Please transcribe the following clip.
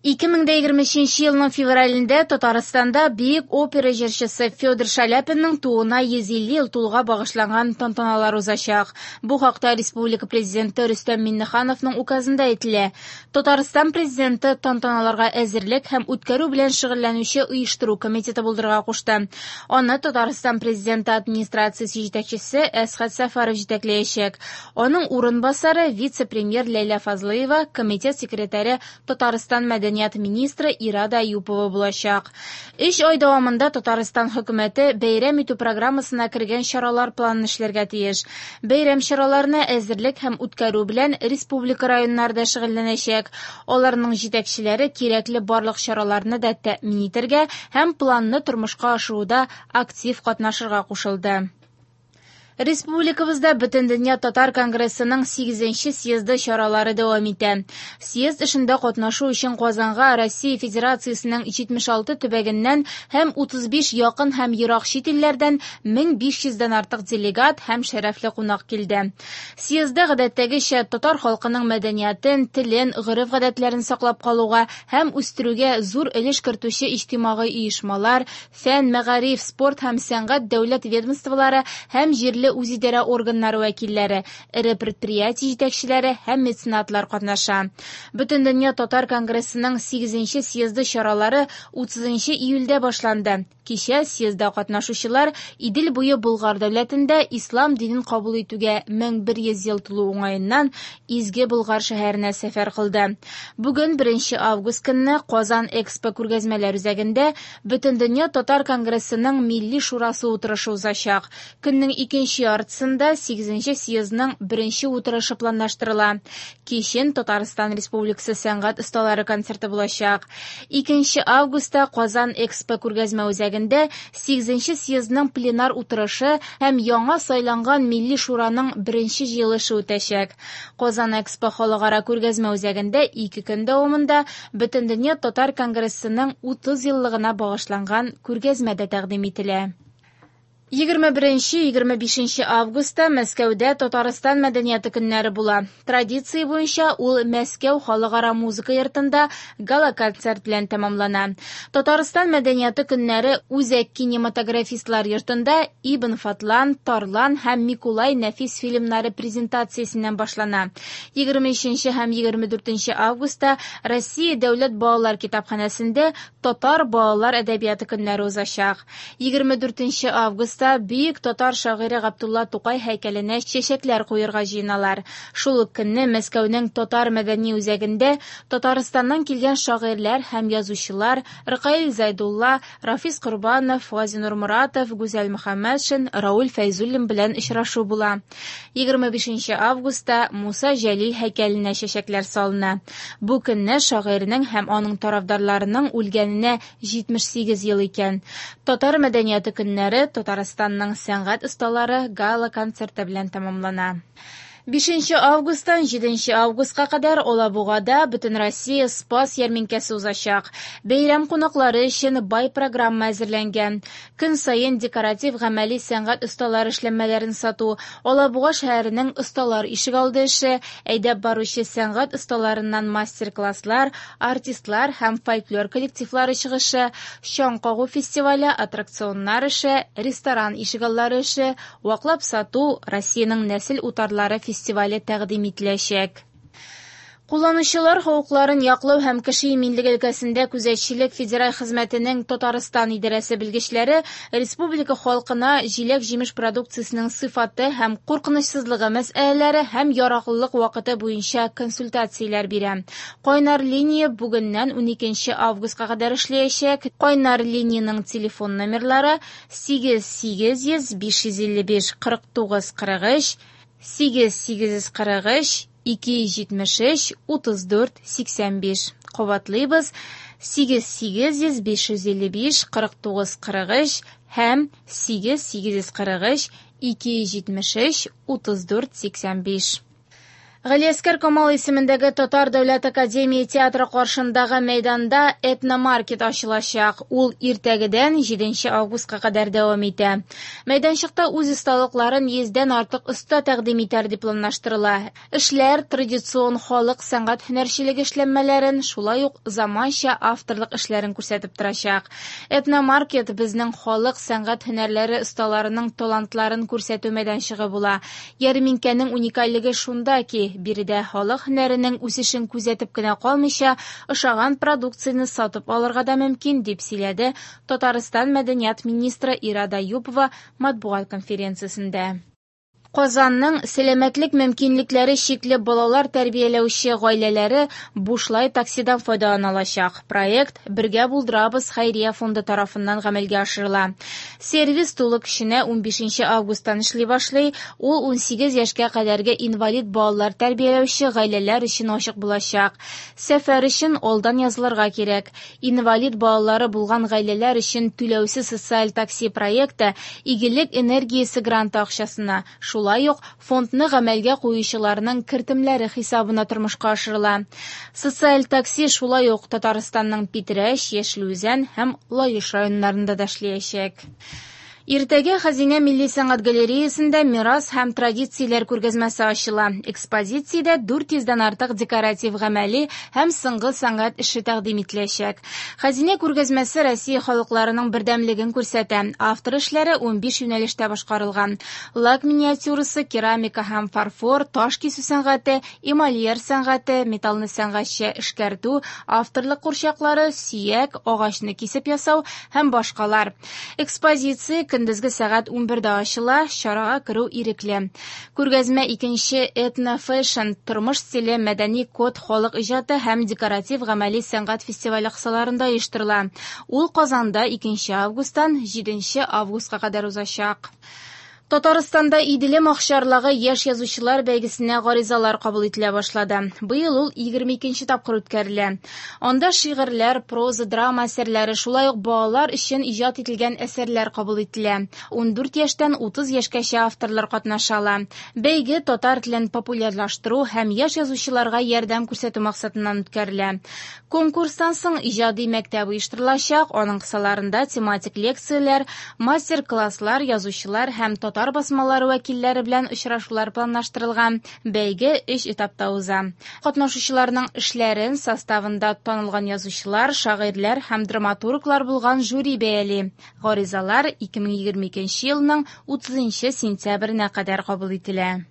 2023 елның февралендә Татарстанда бөек опера җырчысы Федор Шаляпинның тууына 150 ел тулуга багышланган тантаналар узачак. Бу хакта республика Президенты Рөстәм Миңнехановның указында әйтелә. Татарстан Президенты тантаналарга әзерлек һәм үткәрү белән шөгыльләнүче оештыру комитеты булдырырга кушты. Аны Татарстан Президенты администрациясе җитәкчесе Әсхәт Сәфәров җитәкләячәк. Аның урынбасары вице-премьер Ләйлә Фазлыева, комитет секретаре Татарстан мәдәният министры Ирада Әюпова булачак. Өч ай дәвамында Татарстан хөкүмәте бәйрәм итү программасына кергән чаралар планын эшләргә тиеш. Бәйрәм чараларына әзерлек һәм үткәрү белән республика районнары да шөгыльләнәчәк. Аларның җитәкчеләре кирәкле барлык чараларны да тәэмин итәргә һәм планны тормышка ашыруда актив катнашырга кушылды. Республикабызда Бөтендөнья татар конгрессының 8нче съезды чаралары дәвам итә. Съезд эшендә катнашу өчен Казанга Россия Федерациясенең 76 төбәгеннән һәм 35 якын һәм ерак чит илләрдән 1500 дән артык делегат һәм шәрәфле кунак килде. Съездда гадәттәгечә татар халкының мәдәниятен, телен, гореф-гадәтләрен саклап калуга һәм үстерүгә зур өлеш кертүче иҗтимагый оешмалар, фән, мәгариф, спорт һәм сәнгать дәүләт ведомстволары һәм җирле үзидарә органнары вәкилләре, эре предприятие җитәкчеләре һәм меценатлар катнаша. Бөтендөнья татар конгрессының 8нче съезды чаралары 30 июльдә башланды. Кичә съездда катнашучылар Идел буе Болгар дәүләтендә ислам динен кабул итүгә 1100 ел тулу уңаеннан Изге Болгар шәһәренә сәфәр кылды. Бүген 1 август көнне Казан Экспо күргәзмәләр үзәгендә Бөтендөнья татар конгрессының Милли шурасы утырышы узачак. Көннең икенче яртысында 8нче съездның беренче утырышы планлаштырыла. Кичен Татарстан Республикасы сәнгать осталары концерты булачак. 2 августта Казан Экспо күргәзмә үзәгендә 8нче съездның пленар утырышы һәм яңа сайланган Милли шураның беренче җыелышы үтәчәк. Казан Экспо халыкара күргәзмә үзәгендә 2 көн дәвамында Бөтендөнья татар конгрессының 30 еллыгына багышланган күргәзмә дә тәкъдим ителә. 21-25 августта Мәскәүдә Татарстан мәдәнияте көннәре була. Традиция буенча ул Мәскәү халыкара музыка йортында гала-концерт белән тәмамлана. Татарстан мәдәнияте көннәре Үзәк кинематографистлар йортында Ибн Фатлан, Тарлан һәм Микулай нәфис фильмнары презентациясеннән башлана. 23 һәм 24 августта Россия дәүләт балалар китапханәсендә Татар балалар әдәбияты көннәре узачак. 24 августта бөек татар шагыйре Габдулла Тукай һәйкәленә чәчәкләр куерга җыеналар. Шул ук көнне Мәскәүнең татар мәдәни үзәгендә Татарстаннан килгән шагыйрьләр һәм язучылар Ркаил Зайдулла, Рафис Корбанов, Газинур Моратов, Гүзәл Мөхәммәтшин, Рауль Фәйзуллин белән очрашу була. 25 августта Муса Җәлил һәйкәленә чәчәкләр салына. Бу көнне шагыйрьнең һәм аның тарафдарларының үлгәненә 78 ел икән. Татар мәдәнияте көннәре Татарстанның сәнгать осталары гала-концерты белән тәмамлана. 5 августтан 7 августка кадәр Алабугада Бөтенроссия Спас ярминкәсе узачак. Бәйрәм кунаклары өчен бай программа әзерләнгән. Көн саен декоратив гамәли сәнгать осталары эшләнмәләрен сату, Алабуга шәһәренең осталар ишегалды эше, әйдәп баручы сәнгать осталарыннан мастер-класслар, артистлар һәм фольклор коллективлары чыгышы, чаң кагу фестивале, аттракционнар эше, ресторан ишегаллары эше, ваклап сату, Россиянең нәсел утарлары фестивале тәкъдим ителәчәк. Кулланучылар хокукларын яклау һәм кеше иминлеге өлкәсендә күзәтчелек федераль хезмәтенең Татарстан идарәсе белгечләре республика халкына җиләк-җимеш продукциясенең сыйфаты һәм куркынычсызлыгы мәсьәләләре һәм яраклылык вакыты буенча консультацияләр бирә. Кайнар линия бүгеннән 12 августка кадәр эшләячәк. Кайнар линиянең телефон номерлары 8 800 555 49 43, 8 843 273 34 85. Кабатлыйбыз: 8 800 555 49 43 һәм 8 843 273 34 85. Галиәсгар Камал исемендәге Татар дәүләт академия театры каршындагы мәйданда этномаркет ачылачак. Ул иртәгедән 7 августка кадәр дәвам итә. Мәйданчыкта үз осталыкларын 100дән артык оста тәкъдим итәр дип планлаштырыла. Эшләр традицион халык сәнгать һөнәрчелеге эшләнмәләрен, шулай ук заманча авторлык эшләрен күрсәтеп торачак. Этномаркет безнең халык сәнгать һөнәрләре осталарының талантларын күрсәтү мәйданчыгы була. Ярминкәнең уникальлеге шунда ки, биредә халык һөнәренең үсешен күзәтеп кенә калмыйча, ошаган продукцияне сатып алырга да мөмкин, дип сөйләде Татарстан мәдәният министры Ирада Юпова матбугат конференциясендә. Казанның сәламәтлек мөмкинлекләре чикле балалар тәрбияләүче гаиләләре бушлай таксидан файдалана алачак. Проект «Бергә булдырабыз» хәйрия фонды тарафыннан гамәлгә ашырыла. Сервис тулы көченә 15 августтан эшли башлый. Ул 18 яшькә кадәрге инвалид балалар тәрбияләүче гаиләләр өчен ачык булачак. Сәфәр өчен алдан язылырга кирәк. Инвалид балалары булган гаиләләр өчен түләүсез социаль такси проекты «Игелек энергиясе» гранты акчасына, шулай ук фондны гамәлгә куючыларның кертемләре хисабына тормышка ашырыла. Социаль такси шулай ук Татарстанның Питрәч, Яшел Үзән һәм Лаеш районнарында да эшләячәк. Иртәгә Хәзинә милли сәнгать галереясында мирас һәм традицияләр күргәзмәсе ачыла. Экспозициядә 400дән артык декоратив гамәли һәм сыңгы сәнгать эше тәкъдим ителәчәк. Хәзинә күргәзмәсе Россия халыкларының бердәмлеген күрсәтә. Автор эшләре 15 юнәлештә башкарылган. Лак миниатюрасы, керамика һәм фарфор, таш кисү сәнгате, эмальер сәнгате, металлны сәнгатьчә эшкәртү, авторлык курчаклары, сөяк, агачны кисеп ясау һәм башкалар. Экспозиция көндезге сәгать 11дә ачыла, чарага керү ирекле. Күргәзмә икенче этно-фэшн, тормыш стиле, мәдәни код халык иҗаты һәм декоратив гамәли сәнгать фестивале кысаларында оештырыла. Ул Казанда 2 августтан 7 августка кадәр узачак. Татарстанда Иделем акчарлагы яшь язучылар бәйгесенә гаризалар кабул ителә башлады. Быел ул 22 тапкыр үткәрелә. Анда шигырьләр, проза, драма әсәрләре, шулай ук балалар өчен иҗат ителгән әсәрләр кабул ителә. 14 яшьтән 30 яшькәчә авторлар катнаша ала. Бәйге татар телен популярлаштыру һәм яшь язучыларга ярдәм күрсәтү максатыннан үткәрелә. Конкурстан соң иҗади мәктәп оештырылачак, аның кысаларында тематик лекцияләр, мастер-класслар, язучылар һәм татар басмалары вәкилләре белән очрашулар планлаштырылган. Бәйге 3 этапта уза. Катнашучыларның эшләрен составында танылган язучылар, шагыйрьләр һәм драматурглар булган жюри бәяли. Гаризалар 2022 елның 30 сентябренә кадәр кабул ителә.